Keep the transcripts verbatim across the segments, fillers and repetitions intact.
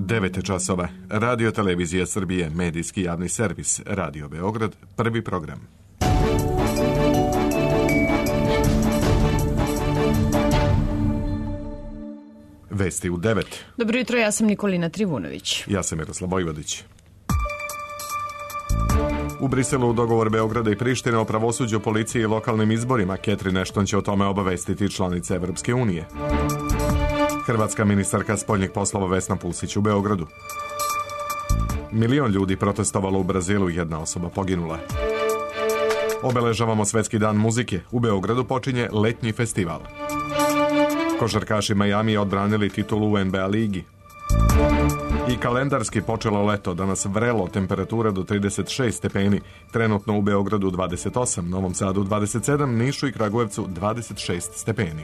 devet časova. Radio Televizija Srbije, medijski javni servis, Radio Beograd, prvi program. Vesti u devet. Dobro jutro, ja sam Nikolina Trivunović. Ja sam Miroslav Vojvodić. U Briselu dogovor Beograda i Prištine o pravosuđu, policiji i lokalnim izborima. Catherine Ashton će o tome obavestiti članice Evropske unije. Hrvatska ministarka spoljnih poslova Vesna Pusić u Beogradu. Milion ljudi protestovalo u Brazilu, jedna osoba poginula. Obeležavamo Svetski dan muzike. U Beogradu počinje letnji festival. Košarkaši Miami odbranili titulu u N B A ligi. I kalendarski počelo leto, danas vrelo, temperatura do trideset šest stepeni, trenutno u Beogradu dvadeset osam, Novom Sadu dvadeset sedam, Nišu i Kragujevcu dvadeset šest stepeni.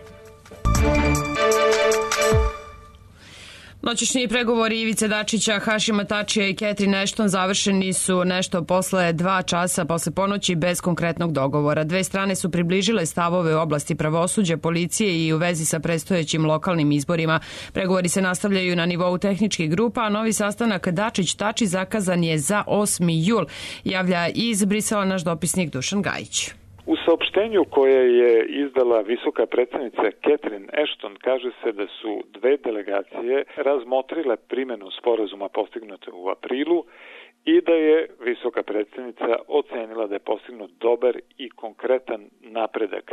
Noćašnji pregovori Ivice Dačića, Hašima Tačija i Catherine Ashton završeni su nešto posle dva časa posle ponoći bez konkretnog dogovora. Dve strane su približile stavove u oblasti pravosuđa, policije i u vezi sa predstojećim lokalnim izborima. Pregovori se nastavljaju na nivou tehničkih grupa, a novi sastanak Dačić-Tači zakazan je za osmi jul, javlja iz Brisela naš dopisnik Dušan Gajić. U saopštenju koje je izdala visoka predstavnica Catherine Ashton kaže se da su dve delegacije razmotrile primjenu sporazuma postignute u aprilu i da je visoka predstavnica ocenila da je postignut dobar i konkretan napredak.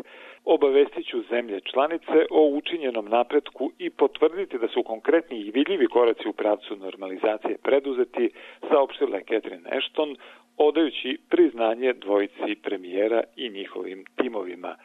Obavestit ću zemlje članice o učinjenom napretku i potvrditi da su konkretni i vidljivi koraci u pravcu normalizacije preduzeti, saopštila je Catherine Ashton, odajući priznanje dvojici premijera i njihovim timovima.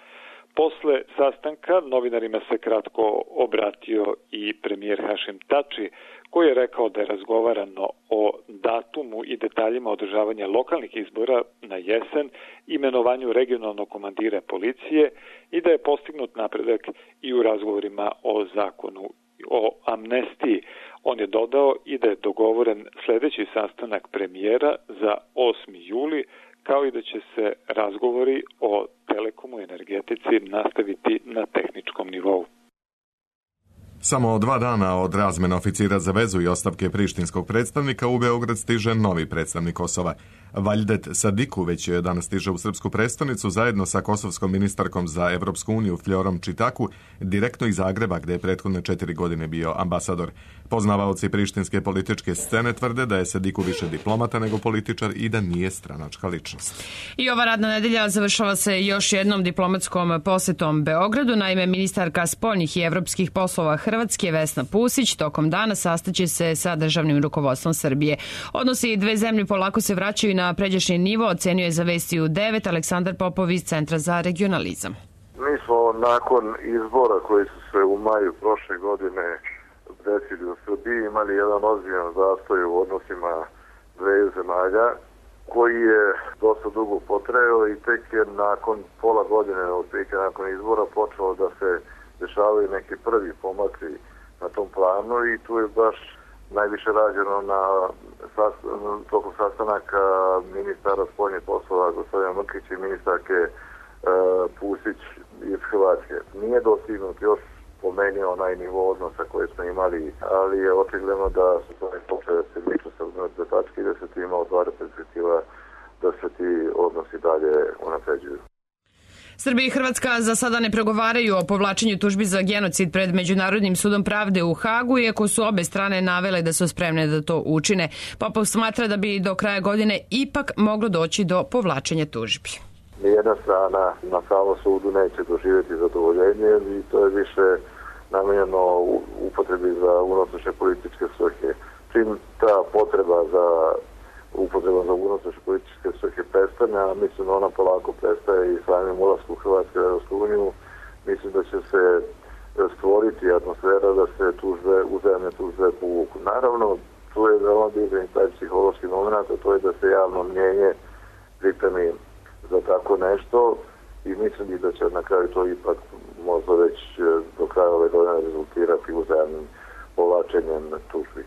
Posle sastanka novinarima se kratko obratio i premijer Hašim Tači, koji je rekao da je razgovarano o datumu i detaljima održavanja lokalnih izbora na jesen, imenovanju regionalnog komandira policije i da je postignut napredak i u razgovorima o zakonu o amnestiji. On je dodao i da je dogovoren sljedeći sastanak premijera za osmi juli, kao i da će se razgovori o telekomu i energetici nastaviti na tehničkom nivou. Samo dva dana od razmene oficira za vezu i ostavke prištinskog predstavnika u Beograd stiže novi predstavnik Kosova. Valdet Sadiku već je danas stiže u srpsku prestonicu zajedno sa kosovskom ministarkom za Evropsku uniju Fljorom Čitaku, direktno iz Zagreba gde je prethodne četiri godine bio ambasador. Poznavaoci prištinske političke scene tvrde da je Sadiku više diplomata nego političar i da nije stranačka ličnost. I ova radna nedelja završava se još jednom diplomatskom posetom Beogradu. Naime, ministarka spoljnih i evropskih poslova Hrvatske Vesna Pusić tokom dana sastaće se sa državnim rukovodstvom Srbije. Odnosi dve zemlje polako se vraćaju na pređašnji nivo, ocenio je za Vesti u devet Aleksandar Popov iz Centra za regionalizam. Mi smo nakon izbora koji su se u maju prošle godine desili u Srbiji imali jedan ozbiljan zastoj u odnosima dveju zemalja koji je dosta dugo potrajao i tek je nakon pola godine, otprilike nakon izbora, počelo da se dešavaju neki prvi pomaci na tom planu i tu je baš najviše rađeno na tokom sastanaka ministara spoljnih poslova gospodina Mrkića i ministarke e, Pusić iz Hrvatske. Nije dostignut još po meni onaj nivo odnosa koje smo imali, ali je očigledno da su to počeli da se miču sa odnosne tačke i da se ti ima otvara perspektiva da se ti odnosi dalje unapređuju. Srbija i Hrvatska za sada ne pregovaraju o povlačenju tužbi za genocid pred Međunarodnim sudom pravde u Hagu, iako su obe strane navele da su spremne da to učine. Popov smatra da bi do kraja godine ipak moglo doći do povlačenja tužbi. Nijedna strana na samom sudu neće doživjeti zadovoljenje i to je više namenjeno upotrebi za unutrašnje političke svrhe. Čim ta potreba za upotreba za unutrašnje političke svrhe prestane, a mislim da ona polako prestaje i samim ulaskom Hrvatske u Evropsku uniju, mislim da će se stvoriti atmosfera da se tužbe, uzajamne tužbe povuku. Naravno, tu je veoma bitan taj psihološki moment, a to je da se javno mnjenje pripremi za tako nešto i mislim da će na kraju to ipak možda već do kraja ove godine rezultirati uzajamnim povlačenjem tužbi.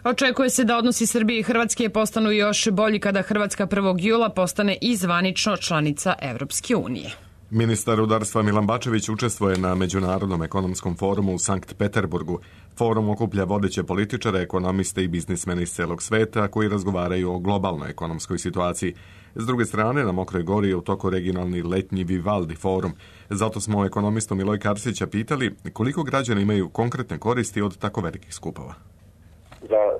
Očekuje se da odnosi Srbije i Hrvatske postanu još bolji kada Hrvatska prvog jula postane i zvanično članica Evropske unije. Ministar rudarstva Milan Bačević učestvuje na Međunarodnom ekonomskom forumu u Sankt Peterburgu. Forum okuplja vodeće političare, ekonomiste i biznismene iz celog sveta koji razgovaraju o globalnoj ekonomskoj situaciji. S druge strane, na Mokroj Gori je u toku regionalni letnji Vivaldi forum. Zato smo ekonomistu Miloj Karsića pitali koliko građani imaju konkretne koristi od tako velikih skupova. Za e,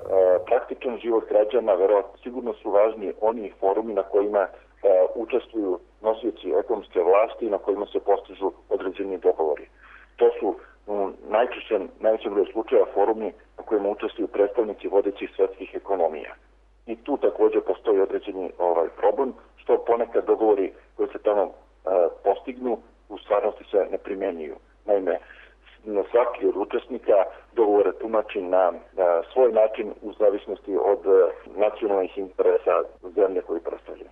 praktičan život građana verovatno sigurno su važni oni forumi na kojima e, učestvuju nosioci ekonomske vlasti na kojima se postižu određeni dogovori. To su um, najčešće, najvećem broju slučaja forumi na kojima učestvuju predstavnici vodećih svetskih ekonomija. I tu također postoji određeni ovaj problem, što ponekad dogovori koji se tamo uh, postignu u stvarnosti se ne primenjuju. Naime, na svaki od učesnika dogovore tumači na, na svoj način u zavisnosti od uh, nacionalnih interesa zemlje koji predstavljaju.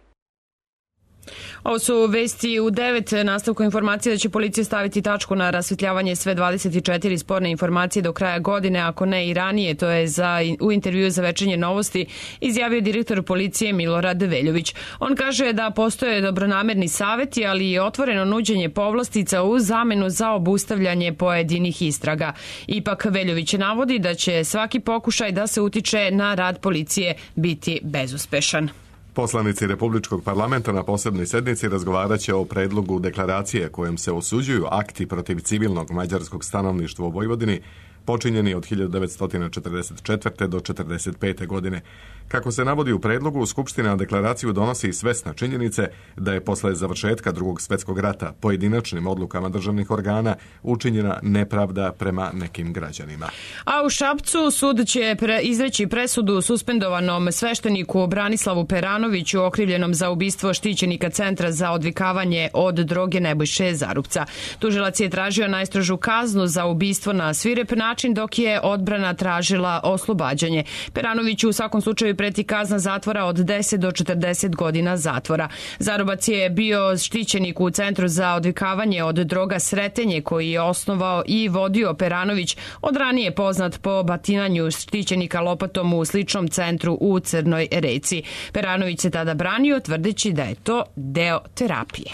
Ovo su vesti u devet, nastavku informacije da će policija staviti tačku na rasvetljavanje sve dvadeset četiri sporne informacije do kraja godine, ako ne i ranije. To je za, u intervjuu za Večernje novosti izjavio direktor policije Milorad Veljović. On kaže da postoje dobronamerni saveti, ali i otvoreno nuđenje povlastica u zamenu za obustavljanje pojedinih istraga. Ipak Veljović navodi da će svaki pokušaj da se utiče na rad policije biti bezuspešan. Poslanici Republičkog parlamenta na posebnoj sednici razgovarat će o predlogu deklaracije kojom se osuđuju akti protiv civilnog mađarskog stanovništva u Vojvodini počinjeni od hiljadu devetsto četrdeset četvrte. do četrdeset pete. godine. Kako se navodi u predlogu, Skupština deklaraciju donosi i svesna činjenice da je posle završetka Drugog svjetskog rata pojedinačnim odlukama državnih organa učinjena nepravda prema nekim građanima. A u Šapcu sud će pre, izreći presudu suspendovanom svešteniku Branislavu Peranoviću okrivljenom za ubistvo štićenika Centra za odvikavanje od droge Nebojše Zarupca. Tužilac je tražio najstrožu kaznu za ubistvo na svirep način, dok je odbrana tražila oslobađanje. Peranoviću u svakom slučaju preti kazna zatvora od deset do četrdeset godina zatvora. Zarubac je bio štićenik u Centru za odvikavanje od droga Sretenje, koji je osnovao i vodio Peranović, od ranije poznat po batinanju štićenika lopatom u sličnom centru u Crnoj Reci. Peranović se tada branio, tvrdeći da je to deo terapije.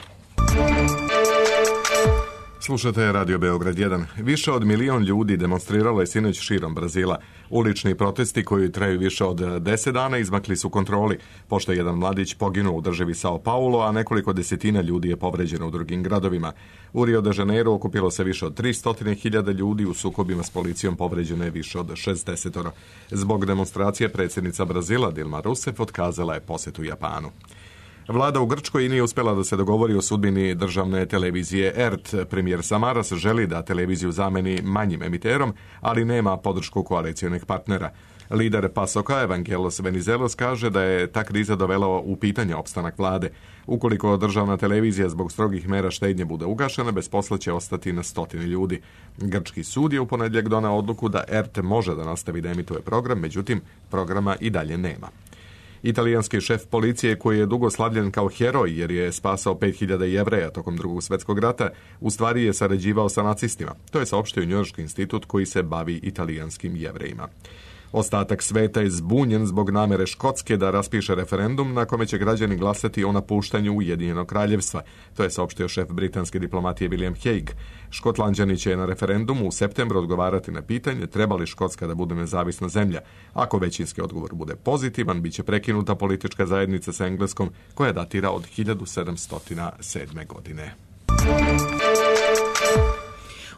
Slušate Radio Beograd jedan. Više od milion ljudi demonstriralo je sinoć širom Brazila. Ulični protesti koji traju više od deset dana izmakli su kontroli, pošto je jedan mladić poginuo u državi Sao Paulo, a nekoliko desetina ljudi je povređeno u drugim gradovima. U Rio de Janeiro okupilo se više od tristo hiljada ljudi, u sukobima s policijom povređeno je više od šezdeset. Zbog demonstracije predsjednica Brazila Dilma Rousseff otkazala je posjetu Japanu. Vlada u Grčkoj nije uspjela da se dogovori o sudbini državne televizije E R T. Premijer Samaras želi da televiziju zameni manjim emiterom, ali nema podršku koalicijonih partnera. Lider Pasoka Evangelos Venizelos kaže da je ta kriza dovela u pitanje opstanak vlade. Ukoliko državna televizija zbog strogih mera štednje bude ugašena, bez posla će ostati na stotine ljudi. Grčki sud je u ponedjeljak doneo odluku da E R T može da nastavi da emituje program, međutim programa i dalje nema. Italijanski šef policije, koji je dugo slavljen kao heroj jer je spasao pet hiljada Jevreja tokom Drugog svjetskog rata, u stvari je sarađivao sa nacistima. To je saopštio Njujorški institut koji se bavi italijanskim Jevrejima. Ostatak sveta je zbunjen zbog namere Škotske da raspiše referendum na kome će građani glasati o napuštanju Ujedinjenog kraljevstva. To je saopštio šef britanske diplomatije William Hague. Škotlanđani će na referendumu u septembru odgovarati na pitanje treba li Škotska da bude nezavisna zemlja. Ako većinski odgovor bude pozitivan, bit će prekinuta politička zajednica sa Engleskom koja datira od hiljadu sedamsto sedme. godine.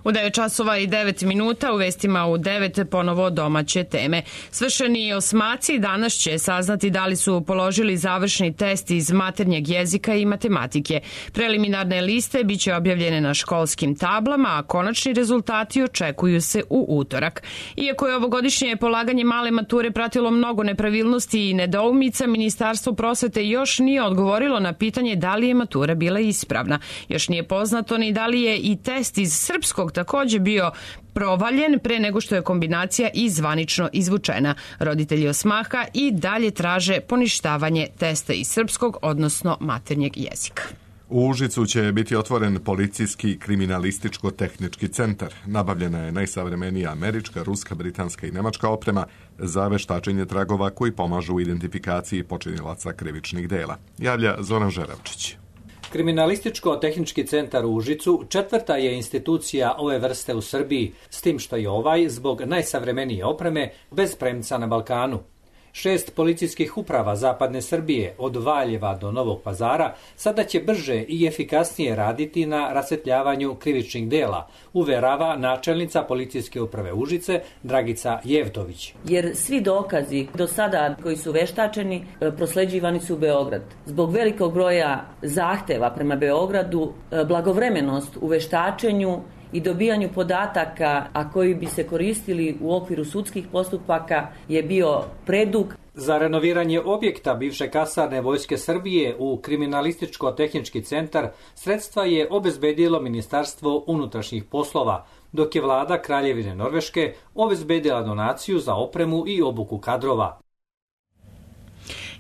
U devet časova i devet minuta u vestima u devet ponovo domaće teme. Svršeni osmaci danas će saznati da li su položili završni test iz maternjeg jezika i matematike. Preliminarne liste biće objavljene na školskim tablama, a konačni rezultati očekuju se u utorak. Iako je ovogodišnje polaganje male mature pratilo mnogo nepravilnosti i nedoumica, Ministarstvo prosvete još nije odgovorilo na pitanje da li je matura bila ispravna. Još nije poznato ni da li je i test iz srpskog također bio provaljen pre nego što je kombinacija i zvanično izvučena. Roditelji osmaha i dalje traže poništavanje testa iz srpskog, odnosno maternjeg jezika. U Užicu će biti otvoren policijski kriminalističko-tehnički centar. Nabavljena je najsavremenija američka, ruska, britanska i nemačka oprema za veštačenje tragova koji pomažu u identifikaciji počinilaca krivičnih dela. Javlja Zoran Žeravčić. Kriminalističko-tehnički centar u Užicu četvrta je institucija ove vrste u Srbiji, s tim što je ovaj, zbog najsavremenije opreme, bez premca na Balkanu. Šest policijskih uprava zapadne Srbije, od Valjeva do Novog Pazara, sada će brže i efikasnije raditi na rasvetljavanju krivičnih dela, uverava načelnica policijske uprave Užice Dragica Jevtović. Jer svi dokazi do sada koji su veštačeni prosleđivani su u Beograd. Zbog velikog broja zahteva prema Beogradu, blagovremenost u veštačenju i dobijanju podataka, a koji bi se koristili u okviru sudskih postupaka, je bio predug. Za renoviranje objekta bivše kasarne Vojske Srbije u Kriminalističko-tehnički centar sredstva je obezbedilo Ministarstvo unutrašnjih poslova, dok je vlada Kraljevine Norveške obezbedila donaciju za opremu i obuku kadrova.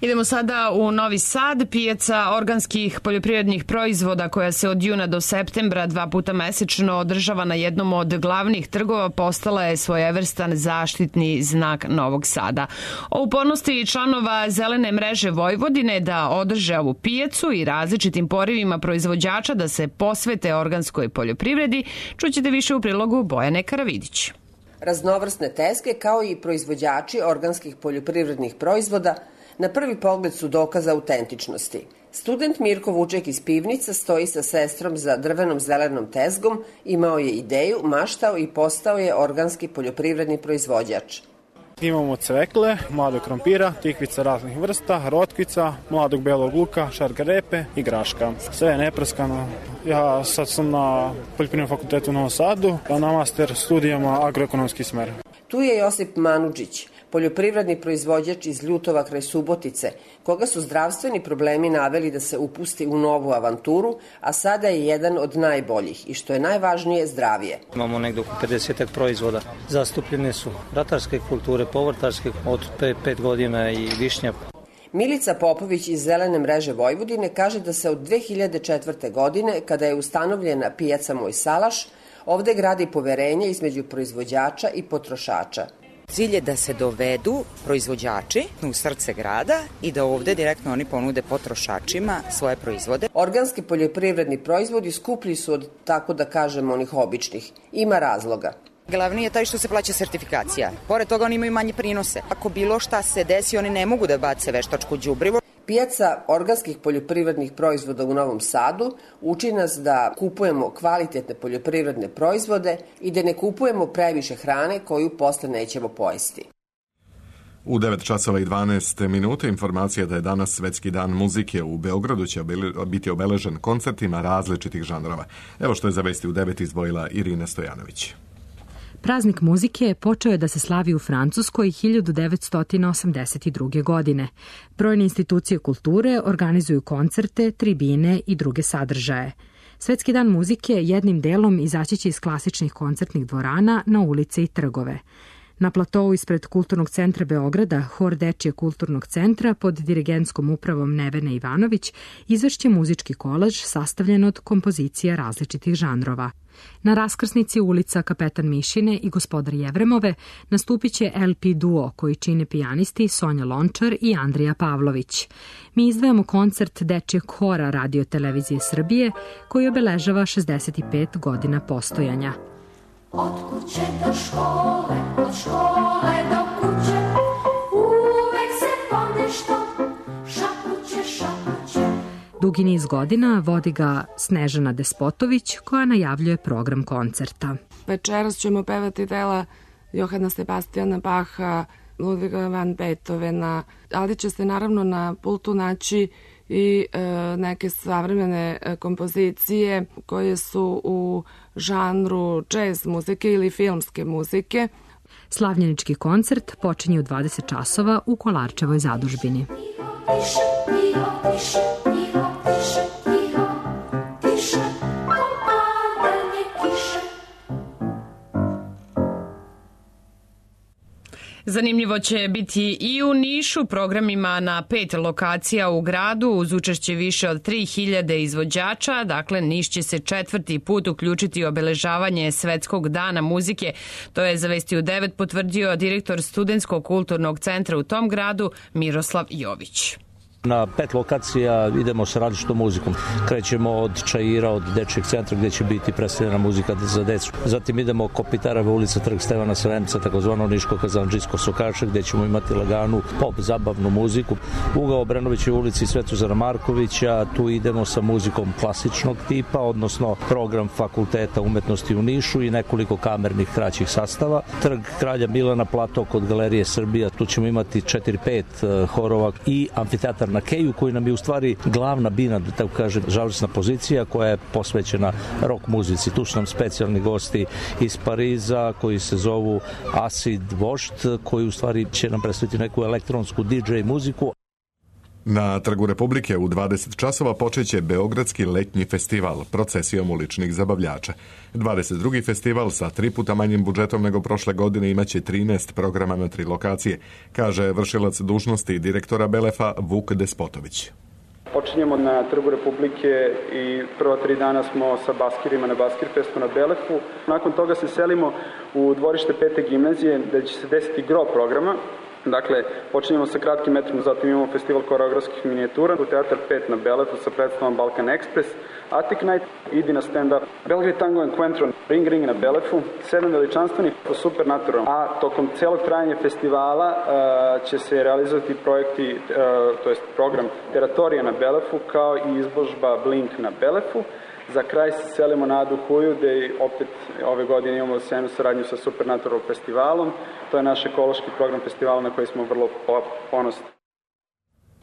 Idemo sada u Novi Sad. Pijaca organskih poljoprivrednih proizvoda koja se od juna do septembra dva puta mesečno održava na jednom od glavnih trgova postala je svojevrstan zaštitni znak Novog Sada. O upornosti članova Zelene mreže Vojvodine da održe ovu pijacu i različitim porivima proizvođača da se posvete organskoj poljoprivredi čućete više u prilogu Bojane Karavidić. Raznovrsne tezge kao i proizvođači organskih poljoprivrednih proizvoda na prvi pogled su dokaz autentičnosti. Student Mirko Vuček iz Pivnica stoji sa sestrom za drvenom zelenom tezgom, imao je ideju, maštao i postao je organski poljoprivredni proizvođač. Imamo cvekle, mladog krompira, tikvica raznih vrsta, rotkvica, mladog belog luka, šargarepe i graška. Sve je neprskano. Ja sad sam na Poljoprivrednom fakultetu u Novom Sadu, a na master studijama agroekonomski smer. Tu je Josip Manudžić, poljoprivredni proizvođač iz Ljutova kraj Subotice, koga su zdravstveni problemi naveli da se upusti u novu avanturu, a sada je jedan od najboljih i što je najvažnije zdravije. Imamo negdje oko pedeset proizvoda. Zastupljene su ratarske kulture, povrtarske od pet godina i višnja. Milica Popović iz Zelene mreže Vojvodine kaže da se od dve hiljade četvrte. godine, kada je ustanovljena pijaca Moj Salaš, ovde gradi poverenje između proizvođača i potrošača. Cilj je da se dovedu proizvođači u srce grada i da ovde direktno oni ponude potrošačima svoje proizvode. Organski poljoprivredni proizvodi skuplji su od, tako da kažem, onih običnih. Ima razloga. Glavni je taj što se plaća sertifikacija. Pored toga oni imaju manje prinose. Ako bilo šta se desi, oni ne mogu da bace veštačko đubrivo. Pijaca organskih poljoprivrednih proizvoda u Novom Sadu uči nas da kupujemo kvalitetne poljoprivredne proizvode i da ne kupujemo previše hrane koju posle nećemo pojesti. U devet časova i dvanaest minuta informacija da je danas Svetski dan muzike. U Beogradu će biti obeležen koncertima različitih žanrova. Evo što je za vesti u devet izdvojila Irina Stojanović. Praznik muzike počeo je da se slavi u Francuskoj hiljadu devetsto osamdeset druge. godine. Brojne institucije kulture organizuju koncerte, tribine i druge sadržaje. Svetski dan muzike jednim delom izaći će iz klasičnih koncertnih dvorana na ulice i trgove. Na platovu ispred Kulturnog centra Beograda, hor Dečije kulturnog centra pod dirigentskom upravom Nevene Ivanović izvešće muzički kolaž sastavljen od kompozicija različitih žanrova. Na raskrsnici ulica Kapetan Mišine i Gospodar Jevremove nastupit će el pe duo koji čine pijanisti Sonja Lončar i Andrija Pavlović. Mi izdvajamo koncert Dečijeg hora Radio televizije Srbije koji obeležava šezdeset pet godina postojanja. Od kuće do škole, od škole do kuće, uvek se ponešto šapuće, šapuće. Dugi niz godina vodi ga Snežana Despotović koja najavljuje program koncerta. Večeras ćemo pevati dela Johana Sebastiana Bacha, Ludviga van Beethovena, ali će se naravno na pultu naći i e, neke savremene e, kompozicije koje su u žanru jazz muzike ili filmske muzike. Slavljenički koncert počinje u dvadeset časova u Kolarčevoj zadužbini. Zanimljivo će biti i u Nišu, programima na pet lokacija u gradu uz učešće više od tri hiljade izvođača. Dakle, Niš će se četvrti put uključiti u obeležavanje Svetskog dana muzike. To je za Vesti u devet potvrdio direktor Studentskog kulturnog centra u tom gradu Miroslav Jović. Na pet lokacija idemo sa različitom muzikom. Krećemo od Čaira, od Dečijeg centra gdje će biti predstavljena muzika za decu. Zatim idemo Kopitareva ulica, trg Stevana Sremca, takozvano Niško-Kazandžijsko Sokaše, gdje ćemo imati laganu pop zabavnu muziku. Ugao Obrenovićeve ulici Svetozara Markovića, tu idemo sa muzikom klasičnog tipa, odnosno program Fakulteta umetnosti u Nišu i nekoliko kamernih kraćih sastava. Trg Kralja Milana, plato kod Galerije Srbija, tu ćemo imati četiri pet horova i amfiteatar na Keju, koji nam je u stvari glavna bina, da tako kažem, žalosna pozicija koja je posvećena rock muzici. Tu su nam specijalni gosti iz Pariza koji se zovu Acid Vošt, koji u stvari će nam predstaviti neku elektronsku D J muziku. Na Trgu Republike u dvadeset časova počeće Beogradski letnji festival procesijom uličnih zabavljača. dvadeset drugi festival sa tri puta manjim budžetom nego prošle godine imaće trinaest programa na tri lokacije, kaže vršilac dužnosti direktora Belefa Vuk Despotović. Počinjemo na Trgu Republike i prva tri dana smo sa baskirima na Baskir Festu na Belefu. Nakon toga se selimo u dvorište pete gimnazije gde će se desiti gro programa. Dakle, počinjemo sa kratkim metrom, zatim imamo festival koreografskih minijatura, u Teatar pet na Belefu sa predstavom Balkan Express, Attic Night, idi na stand-up, Belgrade Tango and Quentro, Ring Ring na Belefu, sedam veličanstvenih po Supernatural. A tokom celog trajanja festivala uh, će se realizovati projekti, uh, to jest program Teratorija na Belefu, kao i izložba Blink na Belefu. Za kraj se selimo na Adu Huju, gde opet ove godine imamo sjajnu saradnju sa Supernatural festivalom. To je naš ekološki program festivala na koji smo vrlo ponosni.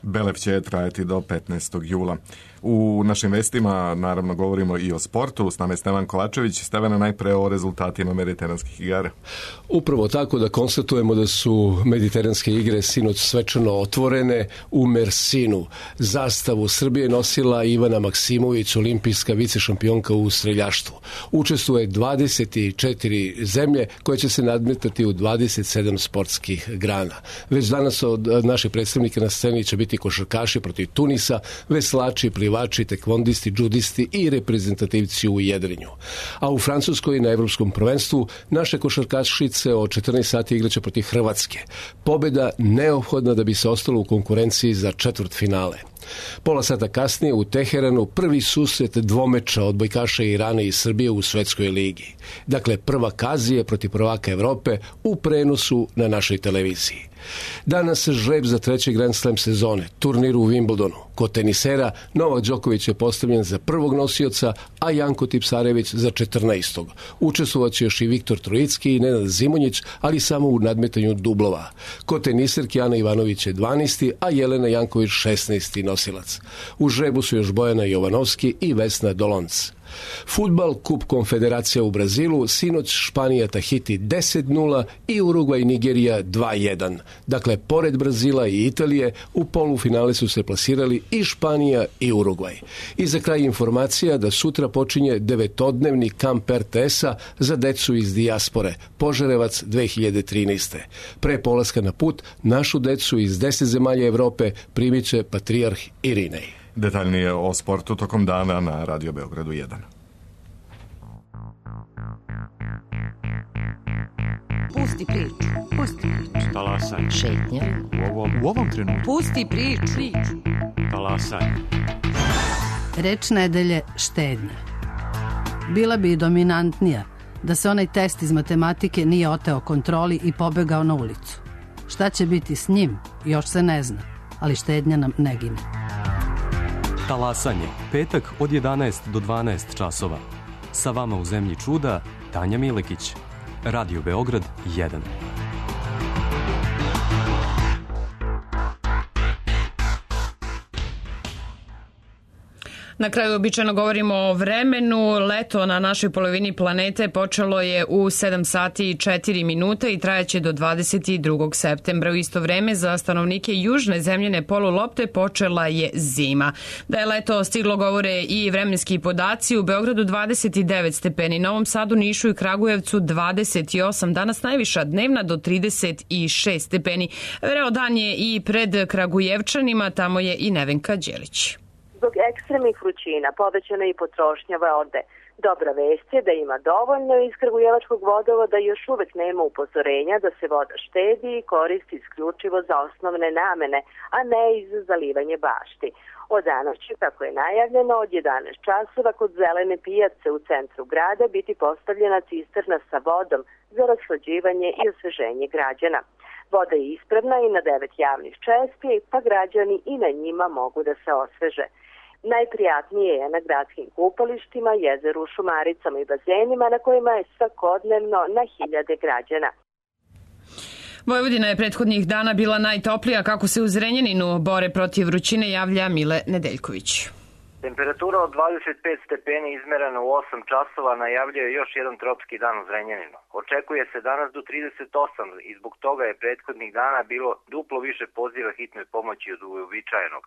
Belef će trajati do petnaestog jula. U našim vestima naravno govorimo i o sportu. S nama je Stevan Kovačević. Stevana, najpre o rezultatima mediteranskih igara. Upravo tako da konstatujemo da su mediteranske igre sinoć svečano otvorene u Mersinu. Zastavu Srbije nosila Ivana Maksimović, olimpijska vicešampionka u streljaštvu. Učestvuje dvadeset četiri zemlje koje će se nadmetati u dvadeset sedam sportskih grana. Već danas od naših predstavnika na sceni će biti košarkaši protiv Tunisa, veslači, plivači, tekvondisti, džudisti i reprezentativci u jedrenju. A u Francuskoj na evropskom prvenstvu naše košarkašice od četrnaest sati igraće protiv Hrvatske. Pobjeda neophodna da bi se ostalo u konkurenciji za četvrtfinale. Pola sata kasnije u Teheranu prvi susret dvomeča odbojkaša Irana i Srbije u svetskoj ligi. Dakle, prvak Azije protiv prvaka Evrope u prenosu na našoj televiziji. Danas se žreb za treći Grand Slam sezone, turnir u Wimbledonu. Kod tenisera Novak Đoković je postavljen za prvog nosioca, a Janko Tipsarević za četrnaestog. Učestvovaće još i Viktor Trojicki i Nenad Zimonjić, ali samo u nadmetanju dublova. Kod teniserki Ana Ivanović je dvanaesti, a Jelena Janković šesnaesti nosilac. U žrebu su još Bojana Jovanovski i Vesna Dolonc. Fudbal, Kup Konfederacija u Brazilu, sinoć Španija Tahiti deset nula i Urugvaj Nigerija dva jedan. Dakle, pored Brazila i Italije, u polufinale su se plasirali i Španija i Urugvaj. I za kraj informacija da sutra počinje devetodnevni kamp R T S-a za decu iz dijaspore, Požarevac dve hiljade trinaeste. Pre polaska na put, našu decu iz deset zemalja Evrope primit će patrijarh Irinej. Detaljnije o sportu tokom dana na Radio Beogradu jedan. Pusti priču, pusti priču. Talasaj. Šetnja. U ovom, u ovom trenutku. Pusti priču. Talasaj. Reč nedelje štednja. Bila bi dominantnija da se onaj test iz matematike nije oteo kontroli i pobegao na ulicu. Šta će biti s njim, još se ne zna, ali štednja nam ne gine. Talasanje, petak od jedanaest do dvanaest časova. Sa vama u zemlji čuda, Tanja Milekić. Radio Beograd jedan. Na kraju običajno govorimo o vremenu. Leto na našoj polovini planete počelo je u sedam sati i četiri minute i trajaće do dvadeset drugog septembra. U isto vreme za stanovnike južne zemljene polulopte počela je zima. Da je leto stiglo govore i vremenski podaci. U Beogradu dvadeset devet stepeni, Novom Sadu, Nišu i Kragujevcu dvadeset osam. Danas najviša dnevna do trideset šest stepeni. Vreo dan je i pred Kragujevčanima, tamo je i Nevenka Đelić. Zbog ekstremnih vrućina povećana i potrošnja vode. Dobra vest je da ima dovoljno iz Kragujevačkog vodovoda i još uvek nema upozorenja da se voda štedi i koristi isključivo za osnovne namene, a ne i za zalivanje bašti. Od danas će, kako je najavljeno, od jedanaest časova kod Zelene pijace u centru grada biti postavljena cisterna sa vodom za rashlađivanje i osveženje građana. Voda je ispravna i na devet javnih čespi, pa građani i na njima mogu da se osveže. Najprijatnije je na gradskim kupalištima, jezeru, šumaricama i bazenima na kojima je svakodnevno na hiljade građana. Vojvodina je prethodnih dana bila najtoplija, kako se u Zrenjaninu bore protiv vrućine, javlja Mile Nedeljković. Temperatura od dvadeset pet stepeni izmerena u osam časova najavljuje još jedan tropski dan u Zrenjaninu. Očekuje se danas do trideset osam i zbog toga je prethodnih dana bilo duplo više poziva hitnoj pomoći od uobičajenog.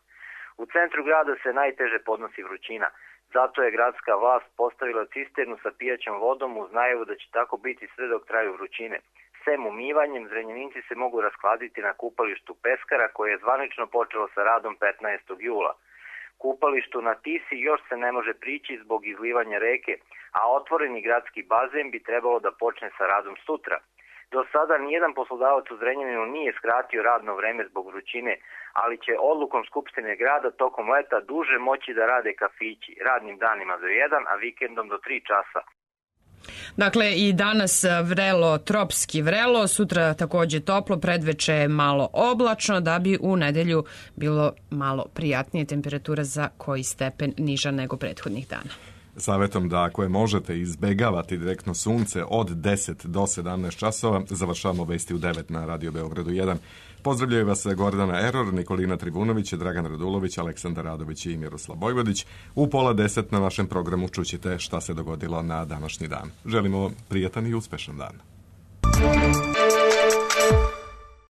U centru grada se najteže podnosi vrućina, zato je gradska vlast postavila cisternu sa pijaćom vodom uz najavu da će tako biti sve dok traju vrućine. Sem umivanjem, Zrenjaninci se mogu raskladiti na kupalištu Peskara koje je zvanično počelo sa radom petnaestog jula. Kupalištu na Tisi još se ne može prići zbog izlivanja reke, a otvoreni gradski bazen bi trebalo da počne sa radom sutra. Do sada nijedan poslodavac u Zrenjaninu nije skratio radno vreme zbog vrućine, ali će odlukom Skupštine grada tokom leta duže moći da rade kafići, radnim danima do jedan, a vikendom do tri časa. Dakle, i danas vrelo, tropski vrelo, sutra takođe toplo, predveče malo oblačno, da bi u nedelju bilo malo prijatnije, temperatura za koji stepen niža nego prethodnih dana. Savetom da ako je možete izbegavati direktno sunce od deset do sedamnaest časova, završavamo vesti u devet na Radio Beogradu jedan. Pozdravljaju vas Gordana Eror, Nikolina Tribunović, Dragan Radulović, Aleksandar Radović i Miroslav Bojvodić. U pola deset na našem programu čućete šta se dogodilo na današnji dan. Želimo vam prijatan i uspešan dan.